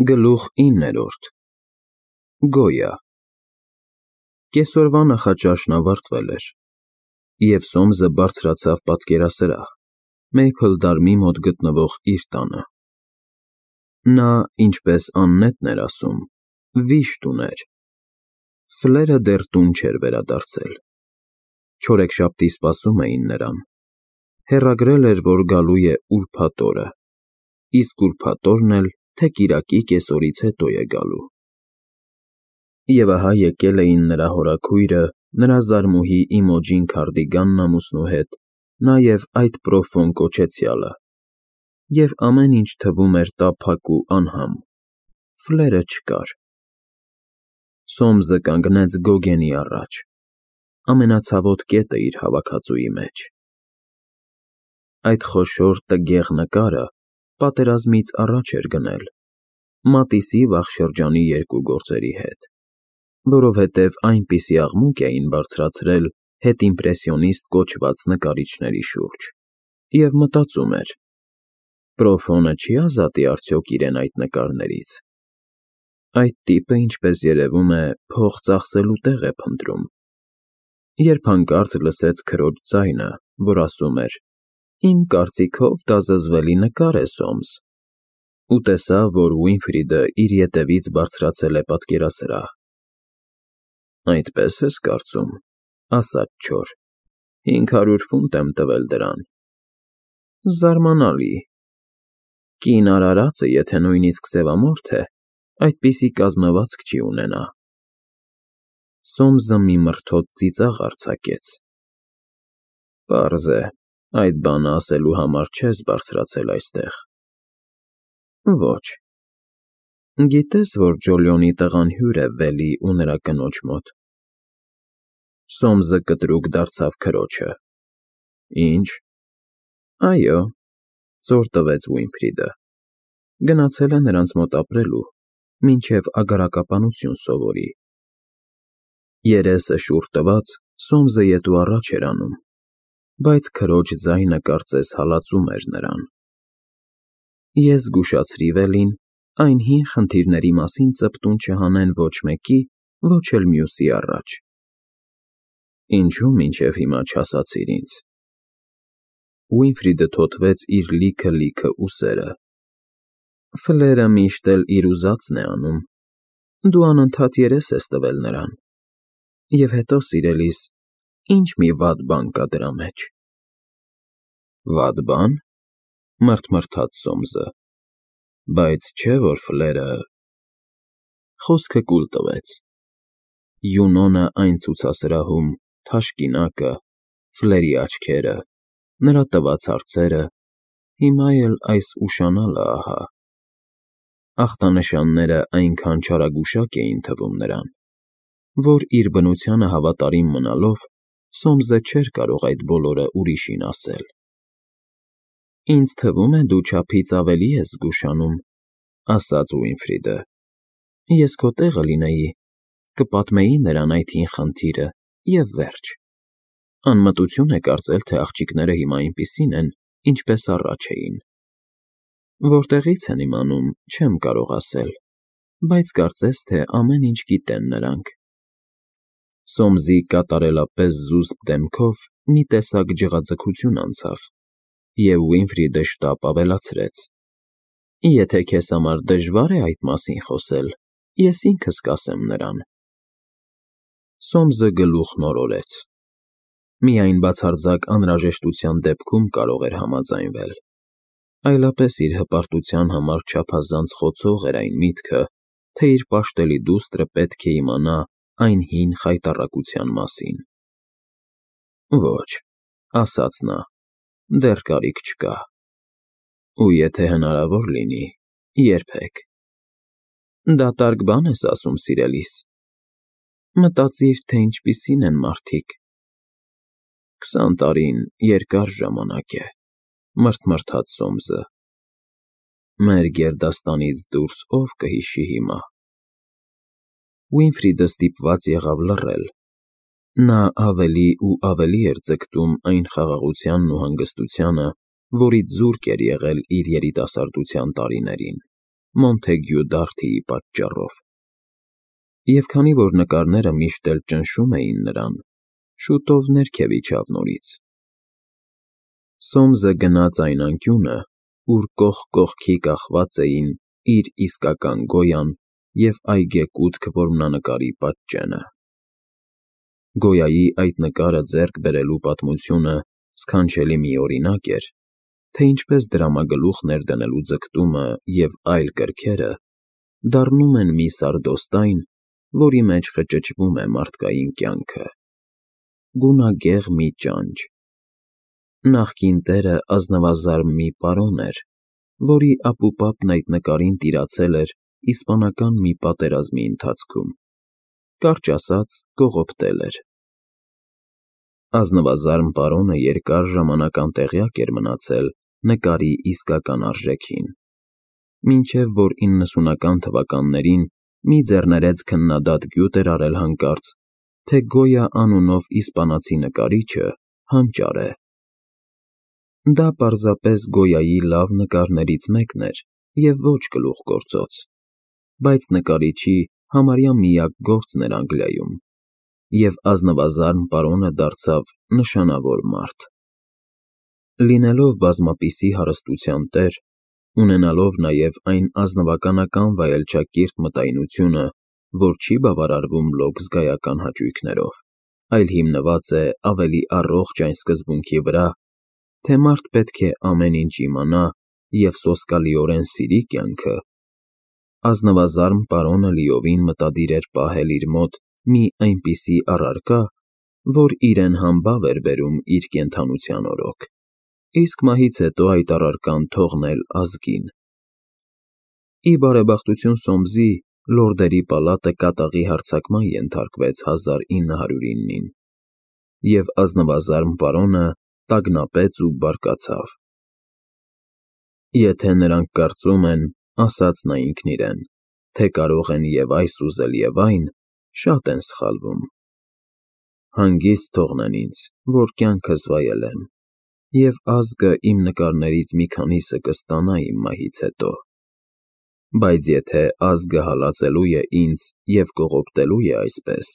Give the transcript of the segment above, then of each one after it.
Գլուխ 9 Գոյա Կեսօրվա նախաճաշն ավարտվել էր, և Սոմսը բարձրացավ պատկերասրահ, Մեյփլդարմի մոտ գտնվող իր տանը. նա, ինչպես աննետն էր ասում, վիշտ ուներ. Ֆլերը դեռ տուն չէր վերադարձել, չորեքշաբթի սպասում էին նրան, հեռագրել էր, որ գալու է ուրբաթ օրը, իսկ ուրբաթ օրն էլ թե կիրակի կեսօրից հետո է գալու։ Եվ ահա եկել էին նրա հորաքույրը, նրա զարմուհի Իմոջին Քարդիգանն ամուսնու հետ, նաև այդ Պրոֆոն կոչեցյալը, և ամեն ինչ թվում էր տափակ ու անհամ, ֆլերը չկար։ Սոմսը կանգնեց Գոգենի առաջ, ամենացավոտ կետը իր հավաքածուի մեջ։ Այդ խոշոր տգեղ նկարը պատերազմից առաջ էր գնել, Մատիսի վաղ շրջանի երկու գործերի հետ, որովհետև այնպիսի աղմուկ էին բարձրացրել հետիմպրեսիոնիստ կոչված նկարիչների շուրջ, և մտածում էր. Պրոֆոնը չի՞ ազատի արդյոք իրեն այդ նկարներից։ Այդ տիպը, ինչպես երևում է, փող ծախսելու տեղ է փնտրում, երբ հանկարծ լսեց քրոջ ձայնը, որ ասում էր. «Իմ կարծիքով դա զզվելի նկար է, Սոմս», ու տեսավ, որ Ուինֆրիդը իր ետևից բարձրացել է պատկերասրահ։ «Այդպես ես կարծում», ասաց չոր, 500 ֆունտ եմ տվել դրան։ Զարմանալի։ Կին արարածը, եթե նույնիսկ սևամորթ է, այդպիսի կազմվածք չի ունենա։ Սոմսը մի մրթոտ ծիծաղ արձակեց։ Պարզ է, այդ բանը ասելու համար չես բարձրացել այստեղ։ Ոչ։ Գիտես, որ Ջոլիոնի տղան հյուր է Վելի ու նրա կնոջ մոտ։ Սոմսը կտրուկ դարձավ քրոջը։ Ինչ։ Այո, զոր տվեց Ուինֆրիդը, գնացել է նրանց մոտ ապրելու, մինչև ագարակապանություն սովորի։ Երեսը շուռ տված, Սոմսը ետ ու առաջ էր անում, բայց քրոջ ձայնը կարծես հալածում էր նրան։ Ես զգուշացրի Վելին, այն հին խնդիրների մասին ծպտուն չհանեն ոչ մեկի, ոչ էլ մյուսի առաջ։ Ինչու մինչև հիմա չասացիր ինձ։ Ուինֆրիդը թոթվեց իր լիքը ուսերը։ Ֆլերը միշտ էլ իր ուզածն է անում։ Դու անընդհատ երես ես տվել նրան։ Եվ հետո, սիրելիս, ինչ մի վատ բան կա դրա մեջ։ Վատ բան, մռթմռթաց Սոմսը, բայց չէ՞ որ ֆլերը… Խոսքը կուլ տվեց։ Յունոնը այն ցուցասրահում, թաշկինակը, ֆլերի աչքերը, նրա տված հարցերը, հիմա էլ այս ուշանալը ահա։ Ախտանշանները այնքան չարագուշակ էին թվում նրան, որ իր բնությանը հավատարիմ մնալով, Սոմսը չէր կարող այդ բոլորը ուրիշին ասել։ Ինձ թվում է, դու չափից ավելի ես զգուշանում, ասաց Ուինֆրիդը։ Ես քո տեղը լինեի, կպատմեի նրան այդ հին խնդիրը, և վերջ։ Անմտություն է կարծել, թե աղջիկները հիմա այնպիսին են, ինչպես առաջ էին։ Որտեղից են իմանում, չեմ կարող ասել, բայց կարծես թե ամեն ինչ գիտեն նրանք։ Սոմսի կատարելապես զուսպ դեմքով մի տեսակ ջղաձգություն անցավ, և Ուինֆրիդը շտապ ավելացրեց. Եթե քեզ համար դժվար է այդ մասին խոսել, ես ինքս կասեմ նրան։ Սոմսը գլուխն օրորեց։ Միայն բացարձակ անհրաժեշտության դեպքում կարող էր համաձայնվել, այլապես իր հպարտության համար չափազանց խոցող էր այն միտքը, թե իր պաշտելի դուստրը պետք է իմանա այն հին խայտառակության մասին։ Ոչ, ասաց նա, դեռ կարիք չկա։ Ու եթե հնարավոր լինի, երբեք։ Դատարկ բան ես ասում, սիրելիս։ Մտածիր, թե ինչպիսին են մարդիկ։ 20 տարին երկար ժամանակ է, մռթմռթաց Սոմսը։ Մեր գերդաստանից դուրս ով կհիշի հիմա։ Ուինֆրիդը ստիպված եղավ լռել։ Նա ավելի ու ավելի էր ձգտում այն խաղաղությանն ու հանգստությանը, որից զուրկ էր եղել իր երիտասարդության տարիներին։ Մոնթեգյու Դարթիի պատճառով։ Եվ քանի որ նկարները միշտ էլ ճնշում էին նրան, շուտով ներքև իջավ նորից։ Սոմսը գնաց այն անկյունը, ուր կողք կողքի կախված էին իր իսկական Գոյան և այգեկութ որմնանկարի պատճենը։ Գոյայի այդ նկարը ձեռք բերելու պատմությունը սքանչելի մի օրինակ էր, թե ինչպես դրամագլուխ ներդնելու ձգտումը և այլ կրքերը դառնում են մի սարդոստայն, որի մեջ խճճվում է մարդկային կյանքը, գունագեղ մի ճանճ։ Նախկին տերը ազնվազարմ մի պարոն էր, որի ապուպապն այդ նկարին տիրացել էր իսպանական մի պատերազմի ընթացքում, կարճ ասած կողոպտել էր։ Ազնվազարմ պարոնը երկար ժամանակ անտեղյակ էր մնացել նկարի իսկական արժեքին, մինչև որ 90-ական թվականներին մի ձեռներեց քննադատ գյուտ էր արել հանկարծ, թե Գոյա անունով իսպանացի նկարիչը հանճար է։ Դա պարզապես Գոյայի լավ նկարներից մեկն էր և ոչ գլուխգործոց, բայց նկարիչի համարյա միակ գործն էր Անգլիայում, և ազնվազարմ պարոնը դարձավ նշանավոր մարդ։ Լինելով բազմապիսի հարստության տեր, ունենալով նաև այն ազնվականական վայելչակիրթ մտայնությունը, որ չի բավարարվում լոկ զգայական հաճույքներով, այլ հիմնված է ավելի առողջ այն սկզբունքի վրա, թե մարդ պետք է ամեն ինչ իմանա և սոսկալիորեն սիրի կյանքը, ազնվազարմ պարոնը լիովին մտադիր էր պահել իր մոտ մի այնպիսի առարկա, որ իրեն համբավ էր բերում իր կենդանության օրոք, իսկ մահից հետո այդ առարկան թողնել ազգին։ Ի բարեբախտություն Սոմսի, լորդերի պալատը կատաղի հարձակման ենթարկվեց 1909-ին, և ազնվազարմ պարոնը տագնապեց ու բարկացավ։ Եթե նրանք կարծում են, ասաց նա ինքն իրեն, թե կարող են և այս ուզել և այն, շատ են սխալվում։ Հանգիստ թողնեն ինձ, որ կյանքս վայելեմ, և ազգը իմ նկարներից մի քանիսը կստանա իմ մահից հետո։ Բայց եթե ազգը հալածելու է ինձ և կողոպտելու է այսպես,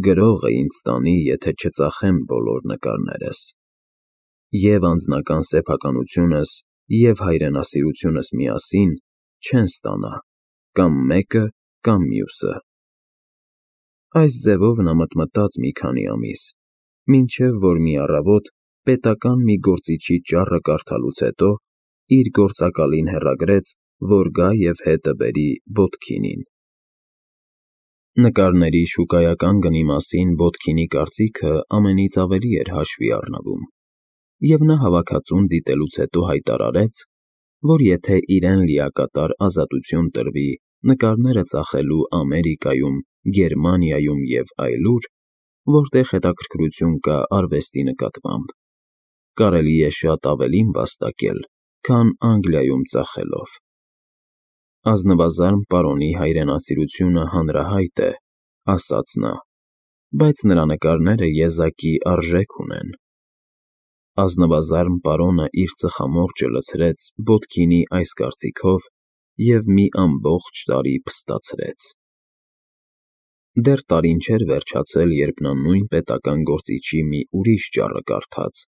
գրողը ինձ տանի, եթե չծախեմ բոլոր նկարներս։ Եվ անձնական սեփականությունս, և հայրենասիրությունս միասին չեն ստանա կամ մեկը, կամ մյուսը։ Այս ձևով նա մտմտաց մի քանի ամիս, մինչև որ մի առավոտ պետական մի գործիչի ճառը կարդալուց հետո իր գործակալին հեռագրեց, որ գա և հետը բերի Բոդքինին։ Նկարների շուկայական գնի մասին Բոդքինի կարծիքը ամենից ավելի էր հաշվի առնվում, և նա հավաքածուն դիտելուց հետո հայտարարեց, որ եթե իրեն լիակատար ազատություն տրվի նկարները ծախելու Ամերիկայում, Գերմանիայում և այլուր, որտեղ հետաքրքրություն կա արվեստի նկատմամբ, կարելի է շատ ավելին վաստակել, քան Անգլիայում ծախելով։ Ազնվազարմ պարոնի հայրենասիրությունը հանրահայտ է, ասաց նա, բայց նրա նկարները եզակի արժեք ունեն։ Ազնվազարմ պարոնը իր ծխամորճը լցրեց Բոդքինի այս կարծիքով և մի ամբողջ տարի փստացրեց։ Դեռ տարին չէր վերջացել, երբ նա նույն պետական գործիչի մի ուրիշ ճառը կարդաց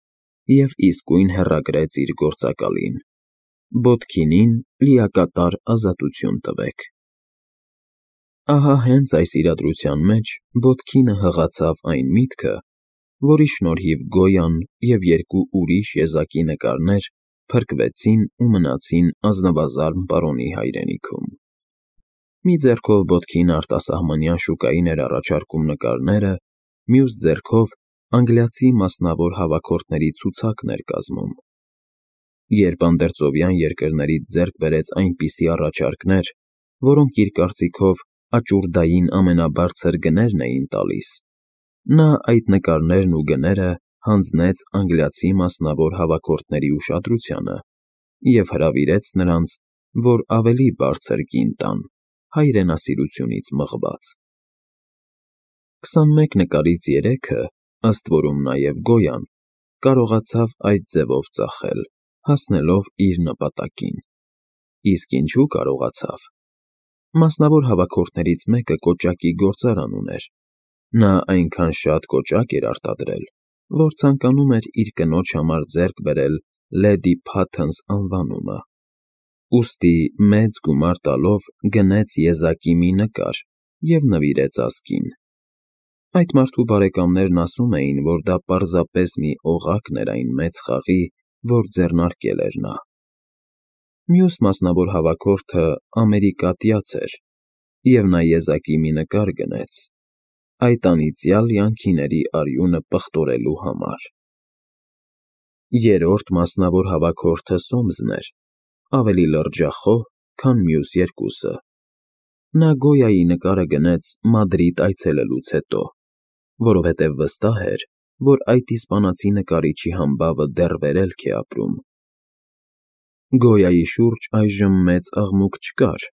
և իսկույն հեռագրեց իր գործակալին. Բոդքինին լիակատար ազատություն տվեք։ Ահա հենց այս իրադրության մեջ Բոդքինը հղացավ այն միտքը, որի շնորհիվ Գոյան և երկու ուրիշ եզակի նկարներ փրկվեցին ու մնացին ազնվազարմ պարոնի հայրենիքում։ Մի ձեռքով Բոդքինը արտասահմանյան շուկային էր առաջարկում նկարները, մյուս ձեռքով անգլիացի մասնավոր հավաքորդների ցուցակն էր կազմում։ Երբ անդերձովյան երկրներից ձեռք բերեց այնպիսի առաջարկներ, որոնք իր կարծիքով աճուրդային ամենաբարձր գներն էին տալիս, նա այդ նկարներն ու գները հանձնեց անգլիացի մասնավոր հավաքորդների ուշադրությանը և հրավիրեց նրանց, որ ավելի բարձր գին տան, հայրենասիրությունից մղված։ 21 նկարից 3-ը, ըստ որում նաև Գոյան, կարողացավ այդ ձևով ծախել, հասնելով իր նպատակին։ Իսկ ինչու կարողացավ։ Մասնավոր հավաքորդներից մեկը կոճակի գործարան ուներ։ Նա այնքան շատ կոճակ էր արտադրել, որ ցանկանում էր իր կնոջ համար ձեռք բերել Լեդի Փաթընս անվանումը։ Ուստի մեծ գումար տալով գնեց եզակի մի նկար և նվիրեց ազգին։ Այդ մարդու բարեկամներն ասում էին, որ դա պարզապես մի օղակն էր այն մեծ խաղի, որ ձեռնարկել էր նա։ Մյուս մասնավոր հավաքորդը ամերիկատյաց էր, և նա եզակի մի նկար գնեց, այդ անիծյալ յանքիների արյունը պղտորելու համար։ Երրորդ մասնավոր հավաքորդը Սոմսն էր, ավելի լրջախոհ, քան մյուս երկուսը։ Նա Գոյայի նկարը գնեց Մադրիդ այցելելուց հետո, որովհետև վստահ էր, որ այդ իսպանացի նկարիչի համբավը դեռ վերելք է ապրում։ Գոյայի շուրջ այժմ մեծ աղմուկ չկար,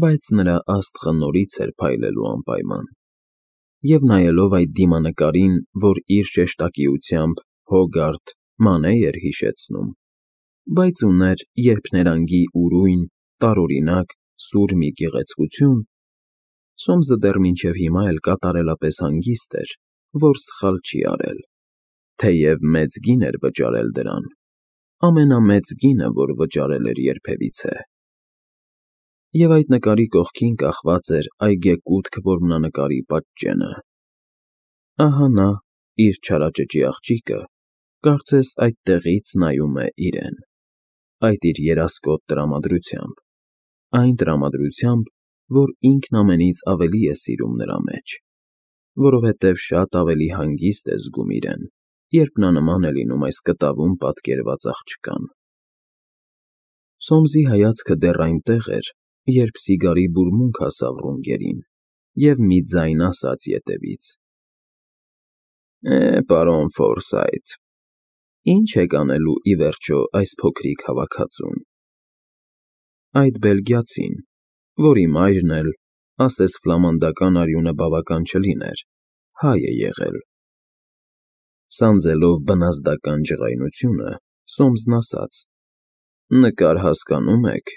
բայց նրա աստղը նորից էր փայլելու անպայման։ Եվ նայելով այդ դիմանկարին, որ իր շեշտակիությամբ Հոգարդ Մանե էր հիշեցնում, բայց ուներ երփներանգի ուրույն, տարօրինակ, սուր մի գեղեցկություն, Սոմսը դեռ մինչև հիմա էլ կատարելապես հանգիստ էր, որ սխալ չի արել, թեև մեծ գին էր վճարել դրան, ամենամեծ գինը, որ վճարել էր երբևիցե։ Եվ այդ նկարի կողքին կախված էր այգեկութք որմնանկարի պատճենը։ Ահա նա, իր չարաճճի աղջիկը, կարծես այդտեղից նայում է իրեն, այդ իր երասկոտ տրամադրությամբ, այն տրամադրությամբ, որ ինքն ամենից ավելի է սիրում նրա մեջ, որովհետև շատ ավելի հանգիստ է զգում իրեն, երբ նա նման է լինում այս կտավում պատկերված աղջկան։ Սոմսի հայացքը դեռ այնտեղ էր, երբ սիգարի բուրմունք հասավ ռունգերին, և մի ձայն ասաց ետևից. Պարոն Ֆորսայթ, ի՞նչ եք անելու ի վերջո այս փոքրիկ հավաքածուն։ Այդ բելգիացին, որի մայրն էլ, ասես ֆլամանդական արյունը բավական չլիներ, հայ է եղել։ Սանձելով բնազդական ջղայնությունը, Սոմսն ասաց. նկար հասկանում եք։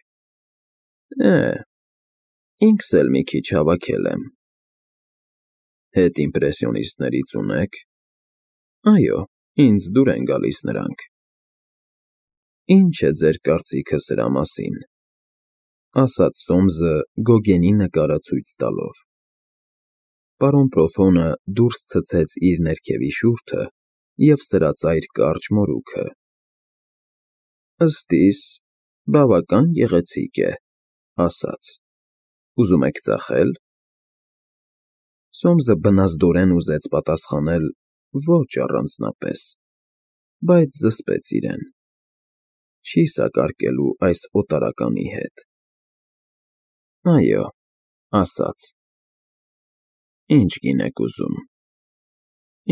Ինքս էլ մի քիչ հավաքել եմ։ Հետիմպրեսիոնիստներից ունե՞ք։ Այո, ինձ դուր են գալիս նրանք։ Ի՞նչ է ձեր կարծիքը սրա մասին, ասաց Սոմսը Գոգենի նկարը ցույց տալով։ Պարոն Պրոֆոնը դուրս ցցեց իր ներքևի շուրթը և սրածայր կարճ մորուքը։ Ըստ իս, բավական գեղեցիկ է, ասաց. Ուզում եք ծախե՞լ։ Սոմսը բնազդորեն ուզեց պատասխանել ոչ առանձնապես, բայց զսպեց իրեն. չի սակարկելու այս օտարականի հետ։ Այո, ասաց. Ինչ գին եք ուզում։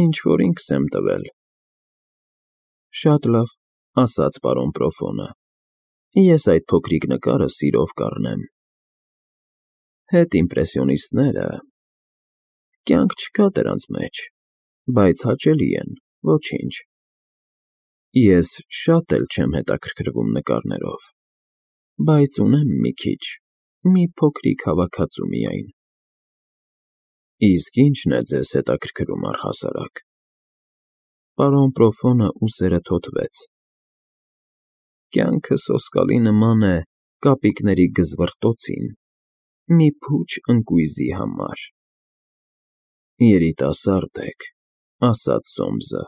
Ինչ-որ ինքս եմ տվել։ Շատ լավ, ասաց պարոն Պրոֆոնը, ես այդ փոքրիկ նկարը սիրով կառնեմ։ Հետիմպրեսիոնիստները… կյանք չկա դրանց մեջ, բայց հաճելի են, ոչինչ։ Ես շատ էլ չեմ հետաքրքրվում նկարներով, բայց ունեմ մի քիչ, մի փոքրիկ հավաքածու միայն։ Իսկ ի՞նչն է ձեզ հետաքրքրում առհասարակ։ Պարոն Պրոֆոնը ուսերը թոթվեց։ Կյանքը սոսկալի նման է կապիկների գզվռտոցին, մի փուչ ընկույզի համար։ Երիտասարդ եք, ասաց Սոմսը։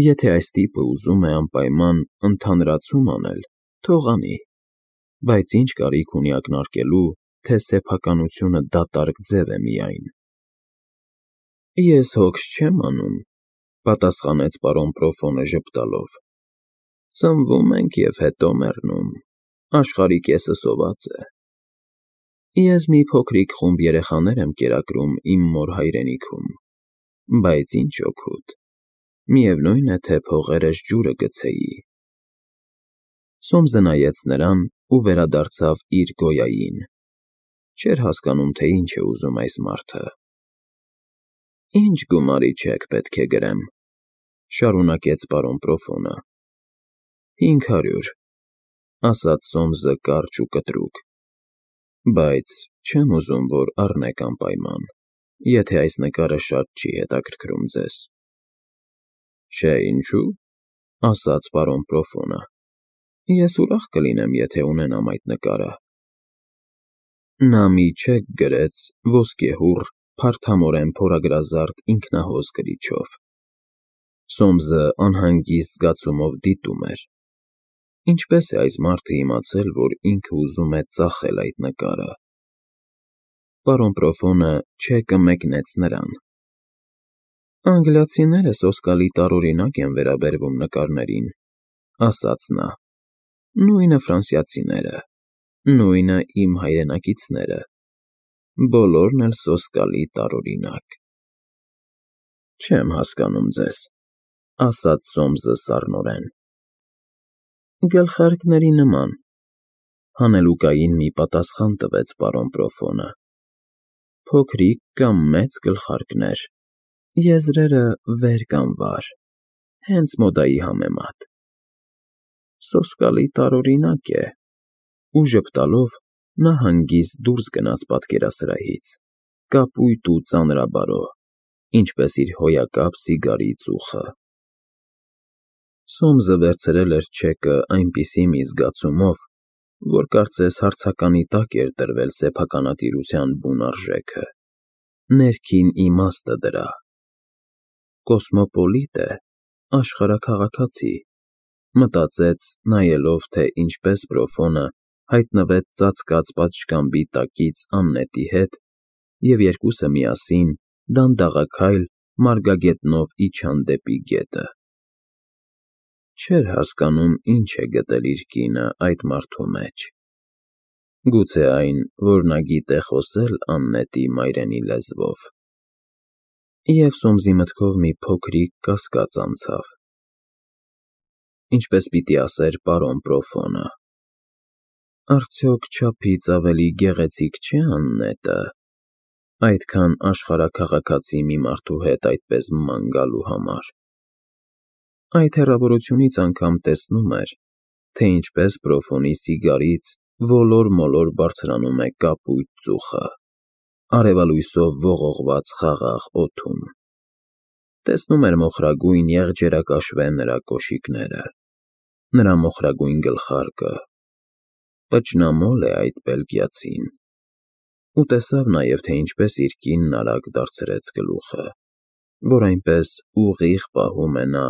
Եթե այս տիպը ուզում է անպայման ընդհանրացում անել, թող անի, բայց ինչ կարիք ունի ակնարկելու, թե սեփականությունը դատարկ ձև է միայն։ Ես հոգս չեմ անում, պատասխանեց պարոն Պրոֆոնը ժպտալով։ Ծնվում ենք և հետո մեռնում, աշխարհի կեսը սոված է։ Ես մի փոքրիկ խումբ երեխաներ եմ կերակրում իմ մոր հայրենիքում, բայց ինչ օգուտ, միևնույն է, թե փողերս ջուրը գցեի։ Սոմսը նայեց նրան ու վերադարձավ իր Գոյային։ Չէր հասկանում, թե ինչ է ուզում այս մարդը։ Ինչ գումարի չեք պետք է գրեմ, շարունակեց պարոն Պրոֆոնը։ 500, ասաց Սոմսը կարճ ու կտրուկ, բայց չեմ ուզում, որ առնեք անպայման, եթե այս նկարը շատ չի հետաքրքրում ձեզ։ Չէ, ինչու, ասաց պարոն Պրոֆոնը, ես ուրախ կլինեմ, եթե ունենամ այդ նկարը։ Նա մի չեք գրեց ոսկեհուռ, փարթամորեն փորագրազարդ ինքնահոս գրիչով։ Սոմսը անհանգիստ զգացումով դիտում էր։ Ինչպես է այս մարդը իմացել, որ ինքը ուզում է ծախել այդ նկարը։ Պարոն Պրոֆոնը չեկը մեկնեց նրան։ Անգլիացիները սոսկալի տարօրինակ են վերաբերվում նկարներին, ասաց նա։ Նույնը ֆրանսիացիները, նույնը իմ հայրենակիցները, բոլորն էլ սոսկալի տարօրինակ։ Չեմ հասկանում ձեզ, ասաց Սոմսը սառնորեն։ Գլխարկների նման, հանելուկային մի պատասխան տվեց պարոն Պրոֆոնը։ Փոքրիկ կամ մեծ գլխարկներ, եզրերը վեր կամ վար, հենց մոդայի համեմատ։ Սոսկալի տարօրինակ է, ու ժպտալով նա հանգիստ դուրս գնաց պատկերասրահից, կապույտ ու ծանրաբարո, ինչպես իր հոյակապ սիգարի ծուխը։ Սոմսը վերցրել էր չեկը այնպիսի մի զգացումով, որ կարծես հարցականի տակ էր դրվել սեփականատիրության բուն արժեքը, ներքին իմաստը դրա։ Կոսմոպոլիտ է, աշխարհաքաղաքացի, մտածեց, նայելով, թե ինչպես Պրոֆոնը հայտնվեց ծածկած պատշգամբի տակից Աննետի հետ, և երկուսը միասին, դանդաղաքայլ, մարգագետնով իջան դեպի գետը։ Չէր հասկանում, ինչ է գտել իր կինը այդ մարդու մեջ։ Գուցե այն, որ նա գիտե խոսել Աննետի մայրենի լեզվով։ Եվ Սոմսի մտքով մի փոքրիկ կասկած անցավ։ Ինչպես պիտի ասեր պարոն Պրոֆոնը. Արդյոք չափից ավելի գեղեցիկ չէ Աննետը, այդքան աշխարհաքաղաքացի մի մարդու հետ այդպես ման գալու համար։ Այդ հեռավորությունից անգամ տեսնում էր, թե ինչպես Պրոֆոնի սիգարից ոլոր-մոլոր բարձրանում է կապույտ ծուխը, արևալույսով ողողված խաղաղ օդում։ Տեսնում էր մոխրագույն եղջերակաշվե նրա կոշիկները, նրա մոխրագույն գլխարկը, պճնամոլ է այդ բելգիացին, ու տեսավ նաև, թե ինչպես իր կինն արագ դարձրեց գլուխը, որ այնպես ուղիղ պահում է նա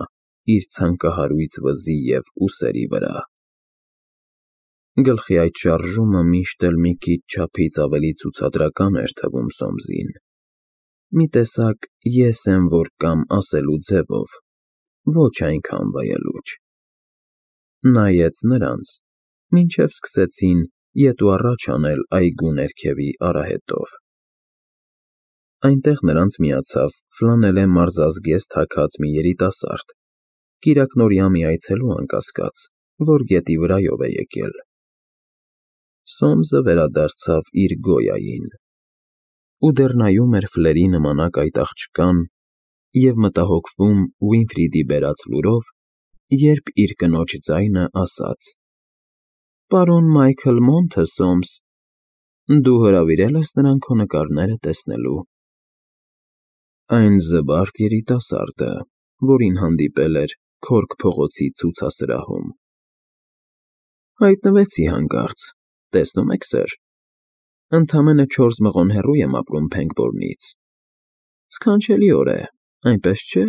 իր ցանկահարույց վզի և ուսերի վրա։ Գլխի այդ շարժումը միշտ էլ մի քիչ չափից ավելի ցուցադրական էր թվում Սոմսին, մի տեսակ ես եմ որ կամ ասելու ձևով, ոչ այնքան վայելուչ։ Նայեց նրանց, մինչև սկսեցին ետ ու առաջ անել այգու ներքևի արահետով։ Այնտեղ նրանց միացավ ֆլանելե մարզազգեստ հագած մի երիտասարդ, կիրակնօրյա մի այցելու անկասկած, որ գետի վրայով է եկել։ Սոմսը վերադարձավ իր գոյային, ու դեռ նայում էր ֆլերի նմանակ այդ աղջկան և մտահոգվում Ուինֆրիդի բերած լուրով, երբ իր կնոջ ձայնը ասաց. Պարոն Մայքլ Մոնթը, Սոմս, դու հրավիրել ես նրան քո նկարները տեսնելու։ Այն զվարթ երիտասարդը, որին հանդիպել էր Քորք փողոցի ցուցասրահում։ Հայտնվեցի հանկարծ, տեսնում եք, սըր, ընդամենը 4 մղոն հեռու եմ ապրում Փենգբորնից։ Սքանչելիոր է, այնպես չէ։